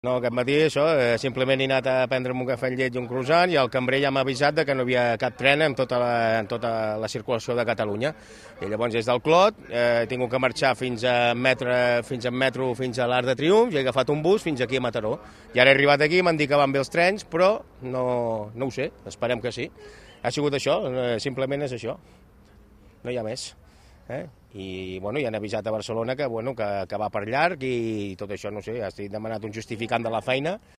No, aquest matí això, simplement he anat a prendre'm un cafè amb llet i un croissant i el cambrer ja m'ha avisat que no hi havia cap tren en tota la circulació de Catalunya. I llavors des del Clot he tingut que marxar fins a metro, fins a l'Arc de Triomf, i he agafat un bus fins aquí a Mataró. I ara he arribat aquí, m'han dit que van bé els trens, però no ho sé, esperem que sí. Ha sigut això, simplement és això, no hi ha més. I bueno, ja han avisat a Barcelona que va per llarg i tot això, no sé, estic demanat un justificant de la feina.